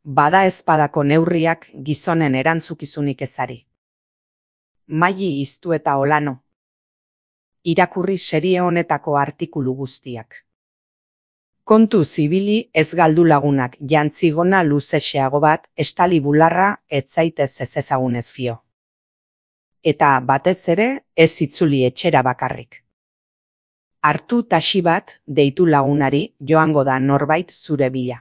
Bada ezpadako neurriak gizonen erantzukizunik ezari. Maili Iztu eta Olano. Irakurri serie honetako artikulu guztiak. Kontu zibili ez galdu lagunak jantzigona luzexeago bat estali bularra ez zaitez ez ezagunez fio. Eta batez ere ez itzuli etxera bakarrik. Hartu taxi bat deitu lagunari joango da norbait zure bila.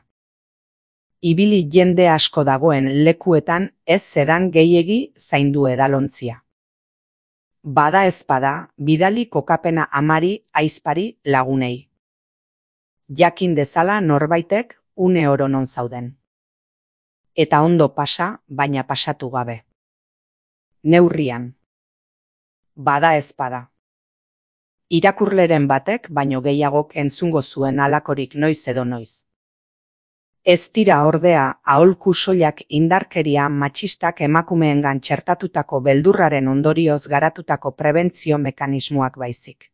Ibili jende asko dagoen lekuetan ez zedan gehiegi zaindu edalontzia. Bada ezpada, bidali kokapena amari aizpari lagunei. Jakin dezala norbaitek une oro non zauden. Eta ondo pasa, baina pasatu gabe. Neurrian. Bada ezpada. Irakurleren batek baino gehiagok entzungo zuen halakorik noiz edo noiz. Ez dira ordea aholku soilak indarkeria matxistak emakumeengan txertatutako beldurraren ondorioz garatutako prebentzio mekanismoak baizik.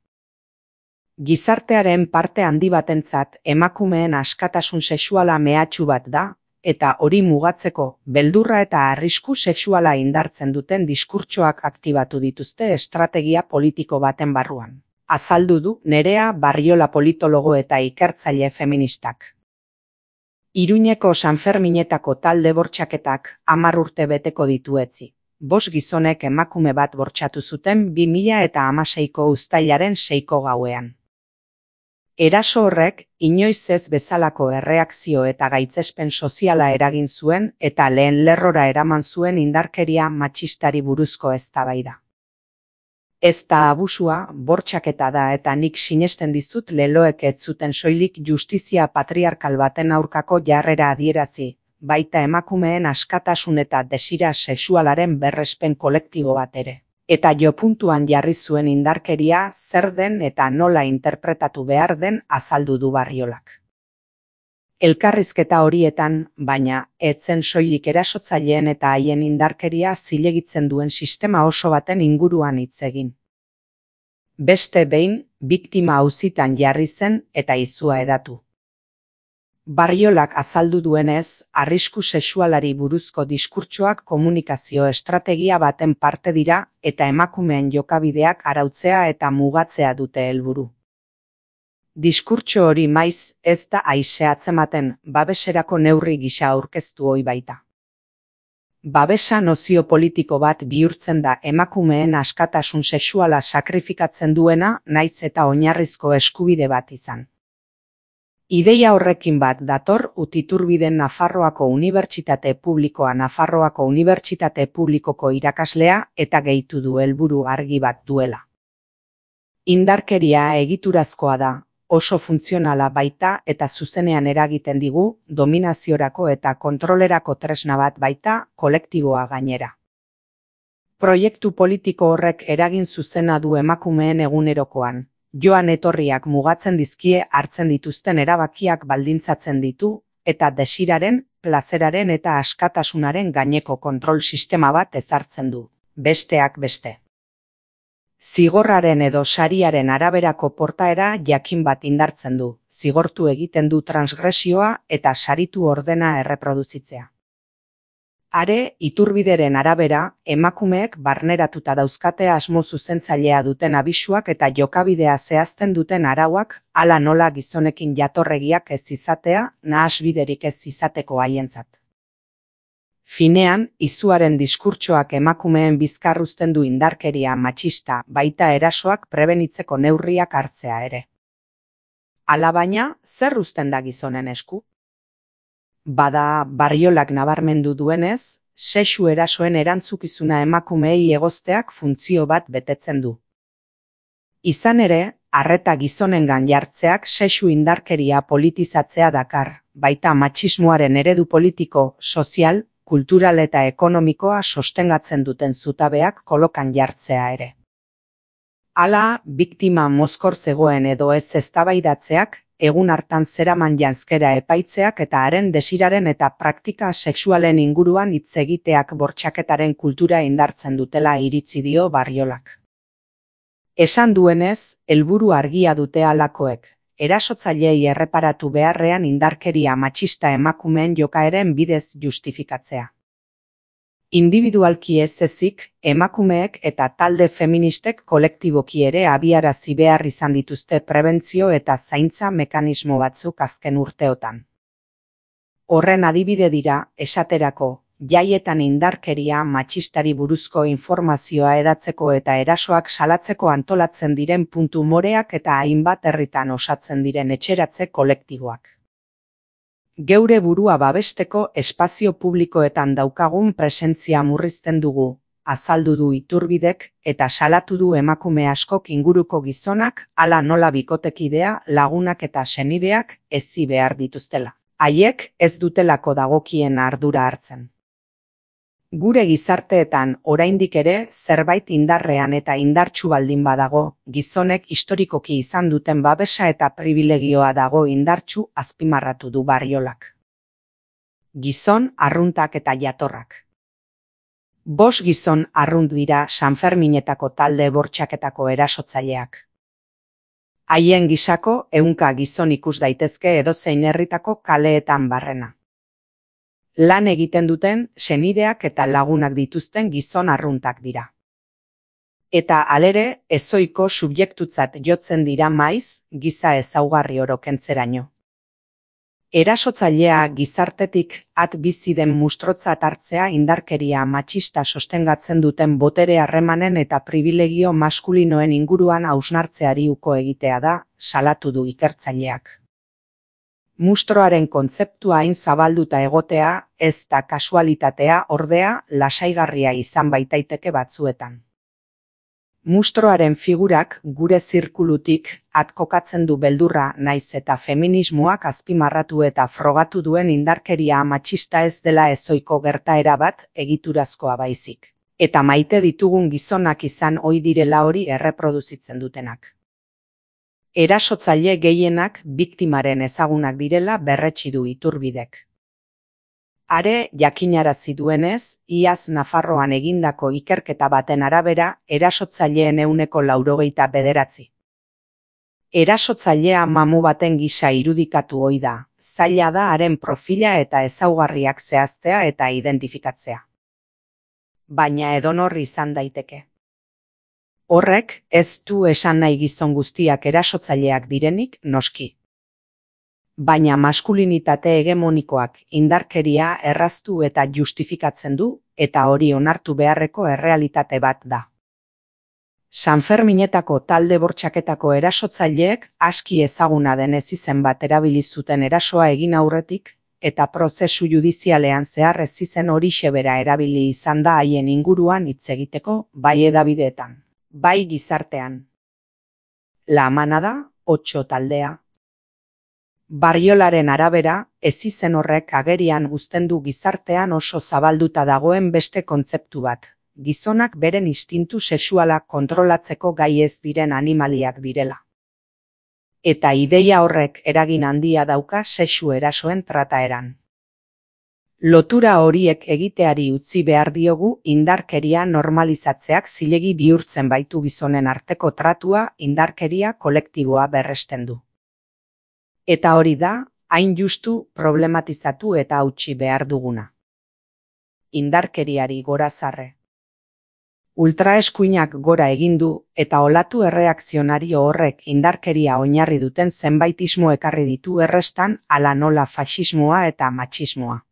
Gizartearen parte handi batentzat emakumeen askatasun sexuala mehatxu bat da, eta hori mugatzeko beldurra eta arrisku sexuala indartzen duten diskurtsoak aktibatu dituzte estrategia politiko baten barruan. Azaldu du Nerea Barriola politologo eta ikertzaile feministak. Iruñeko Sanferminetako talde bortxaketak 10 urte beteko ditu etzi. 5 gizonek emakume bat bortxatu zuten 2016ko uztailaren 6ko gauean. Eraso horrek inoiz ez bezalako erreakzio eta gaitzespen soziala eragin zuen eta lehen lerrora eraman zuen indarkeria matxistari buruzko eztabaida. Ez da abusua, bortxaketa da eta nik sinesten dizut leloek ez zuten soilik justizia patriarkal baten aurkako jarrera adierazi, baita emakumeen askatasun eta desira sexualaren berrespen kolektibo bat ere. Eta jopuntuan jarri zuen indarkeria zer den eta nola interpretatu behar den azaldu du Barriolak. Elkarrizketa horietan, baina, etzen soilik erasotzaileen eta haien indarkeria zilegitzen duen sistema oso baten inguruan hitz egin. Beste behin, biktima auzitan jarri zen eta izua edatu. Barriolak azaldu duenez, arrisku sexualari buruzko diskurtsoak komunikazio estrategia baten parte dira eta emakumeen jokabideak arautzea eta mugatzea dute helburu. Diskurtso hori maiz ez da aise atzematen babeserako neurri gisa aurkeztu ohi baita. Babesa nozio politiko bat bihurtzen da emakumeen askatasun sexuala sakrifikatzen duena naiz eta oinarrizko eskubide bat izan. Ideia horrekin bat dator Utiturbiden Nafarroako Unibertsitate Publikoa Nafarroako Unibertsitate Publikoko irakaslea eta gehitu du helburu argi bat duela. Indarkeria egiturazkoa da, oso funtzionala baita eta zuzenean eragiten digu, dominaziorako eta kontrolerako tresna bat baita, kolektiboa gainera. Proiektu politiko horrek eragin zuzena du emakumeen egunerokoan. Joan etorriak mugatzen dizkie hartzen dituzten erabakiak baldintzatzen ditu, eta desiraren, plazeraren eta askatasunaren gaineko kontrol sistema bat ezartzen du, besteak beste. Zigorraren edo sariaren araberako portaera jakin bat indartzen du, zigortu egiten du transgresioa eta saritu ordena erreproduzitzea. Are, Iturbideren arabera, emakumeek barneratuta dauzkate asmo zuzentzailea duten abisuak eta jokabidea zehazten duten arauak, hala nola gizonekin jatorregiak ez izatea, nahasbiderik ez izateko haientzat. Finean, izuaren diskurtsoak emakumeen bizkarruzten du indarkeria matxista, baita erasoak prebenitzeko neurriak hartzea ere. Alabaina, zer uzten da gizonen esku? Bada, Barriolak nabarmendu duenez, sexu erasoen erantzukizuna emakumeei egozteak funtzio bat betetzen du. Izan ere, arreta gizonengan jartzeak sexu indarkeria politizatzea dakar, baita matxismoaren eredu politiko, sozial, kultural eta ekonomikoa sostengatzen duten zutabeak kolokan jartzea ere. Hala, biktima mozkor zegoen edo ez eztabaidatzeak, egun hartan zeraman janzkera epaitzeak eta haren desiraren eta praktika sexualen inguruan hitz egiteak bortxaketaren kultura indartzen dutela iritzi dio Barriolak. Esan duenez, helburu argia dute halakoek, erasotzaileei erreparatu beharrean indarkeria matxista emakumeen jokaeren bidez justifikatzea. Individualki ez ezik, emakumeek eta talde feministek kolektiboki ere abiarazi behar izan dituzte prebentzio eta zaintza mekanismo batzuk azken urteotan. Horren adibide dira, esaterako, jaietan indarkeria matxistari buruzko informazioa hedatzeko eta erasoak salatzeko antolatzen diren puntu moreak eta hainbat herritan osatzen diren etxeratze kolektiboak. Geure burua babesteko espazio publikoetan daukagun presentzia murrizten dugu, azaldu du Iturbidek eta salatu du emakume askok inguruko gizonak, hala nola bikotekidea, lagunak eta senideak hezi behar dituztela. Haiek ez dutelako dagokien ardura hartzen. Gure gizarteetan oraindik ere zerbait indarrean eta indartsu baldin badago, gizonek historikoki izan duten babesa eta pribilegioa dago indartsu azpimarratu du Barriolak. Gizon, arruntak eta jatorrak. 5 gizon arrunt dira Sanferminetako talde bortxaketako erasotzaileak. Haien gisako 100 gizon ikus daitezke edozein herritako kaleetan barrena. Lan egiten duten senideak eta lagunak dituzten gizon arruntak dira. Eta halere, ezoiko subjektutzat jotzen dira maiz, giza ezaugarri oro kentzeraino. Erasotzailea gizartetik at bizi den mustrotzat hartzea indarkeria matxista sostengatzen duten botere harremanen eta pribilegio maskulinoen inguruan hausnartzeari uko egitea da, salatu du ikertzaileak. Mustroaren kontzeptua hain zabalduta egotea, ez da kasualitatea ordea lasaigarria izan baitaiteke batzuetan. Mustroaren figurak gure zirkulutik kokatzen du beldurra naiz eta feminismoak azpimarratu eta frogatu duen indarkeria matxista ez dela ezoiko gertaera bat egiturazkoa baizik. Eta maite ditugun gizonak izan ohi direla hori erreproduzitzen dutenak. Erasotzaile gehienak biktimaren ezagunak direla berretsi du Iturbidek. Are jakinarazi duenez, iaz Nafarroan egindako ikerketa baten arabera, erasotzaileen 99%. Erasotzailea mamu baten gisa irudikatu ohi da, zaila da haren profila eta ezaugarriak zehaztea eta identifikatzea. Baina edonor izan daiteke. Horrek ez du esan nahi gizon guztiak erasotzaileak direnik noski. Baina maskulinitate hegemonikoak indarkeria erraztu eta justifikatzen du eta hori onartu beharreko errealitate bat da. Sanferminetako talde bortxaketako erasotzaileek aski ezaguna denez izen bat erabili zuten erasoa egin aurretik eta prozesu judizialean zehar ez izen horixe bera erabili izan da haien inguruan hitz egiteko bai hedabideetan. Bai gizartean. La Manada, 8 taldea. Barriolaren arabera, ez izen horrek agerian uzten du gizartean oso zabalduta dagoen beste kontzeptu bat. Gizonak beren instintu sexuala kontrolatzeko gai ez diren animaliak direla. Eta ideia horrek eragin handia dauka sexu erasoen trataeran. Lotura horiek egiteari utzi behar diogu indarkeria normalizatzeak zilegi bihurtzen baitu gizonen arteko tratua indarkeria kolektiboa berresten du. Eta hori da, hain justu problematizatu eta hautsi behar duguna. Indarkeriari gorazarre. Ultraeskuinak gora egin du eta olatu erreakzionario horrek indarkeria oinarri duten zenbaitismo ekarri ditu errestan hala nola faxismoa eta matxismoa.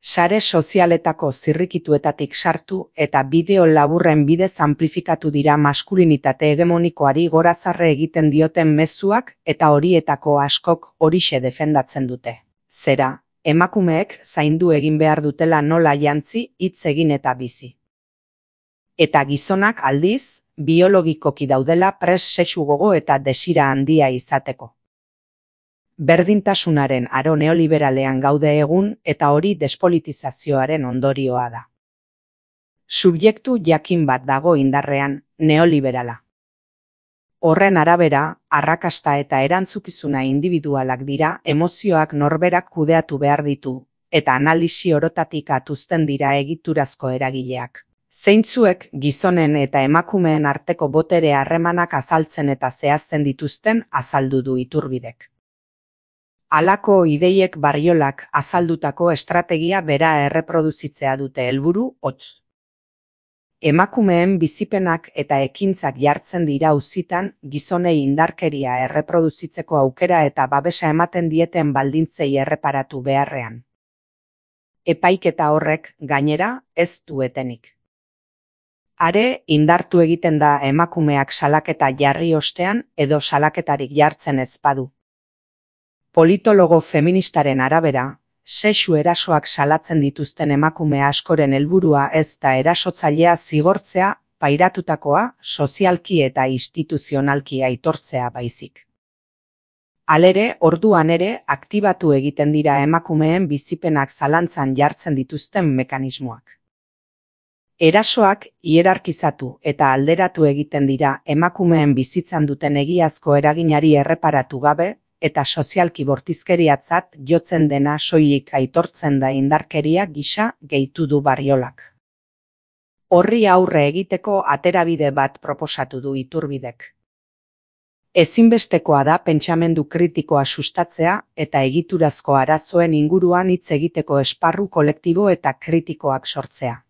Sare sozialetako zirrikituetatik sartu eta bideo laburren bidez amplifikatu dira maskulinitate hegemonikoari gorazarre egiten dioten mezuak eta horietako askok horixe defendatzen dute. Zera, emakumeek zaindu egin behar dutela nola jantzi, hitz egin eta bizi. Eta gizonak aldiz, biologikoki daudela pres sexu gogo eta desira handia izateko. Berdintasunaren aro neoliberalean gaude egun eta hori despolitizazioaren ondorioa da. Subjektu jakin bat dago indarrean, neoliberala. Horren arabera, arrakasta eta erantzukizuna individualak dira emozioak norberak kudeatu behar ditu, eta analisi orotatik atuzten dira egiturazko eragileak. Zeintzuek gizonen eta emakumeen arteko botere harremanak azaltzen eta zehazten dituzten azaldu du Iturbidek. Halako ideiek Barriolak azaldutako estrategia bera erreproduzitzea dute helburu hotz. Emakumeen bizipenak eta ekintzak jartzen dira auzitan gizonei indarkeria erreproduzitzeko aukera eta babesa ematen dieten baldintzei erreparatu beharrean. Epaiketa horrek, gainera, ez du etenik. Are, indartu egiten da emakumeak salaketa jarri ostean edo salaketarik jartzen ez badu. Politologo feministaren arabera, sexu erasoak salatzen dituzten emakume askoren helburua ez da erasotzailea zigortzea, pairatutakoa, sozialki eta instituzionalki aitortzea baizik. Halere, orduan ere, aktibatu egiten dira emakumeen bizipenak zalantzan jartzen dituzten mekanismoak. Erasoak hierarkizatu eta alderatu egiten dira emakumeen bizitzan duten egiazko eraginari erreparatu gabe eta sozialki bortizkeriatzat jotzen dena soilik aitortzen da indarkeria gisa gehitu du Barriolak. Horri aurre egiteko aterabide bat proposatu du Iturbidek. Ezinbestekoa da pentsamendu kritikoa sustatzea eta egiturazko arazoen inguruan hitz egiteko esparru kolektibo eta kritikoak sortzea.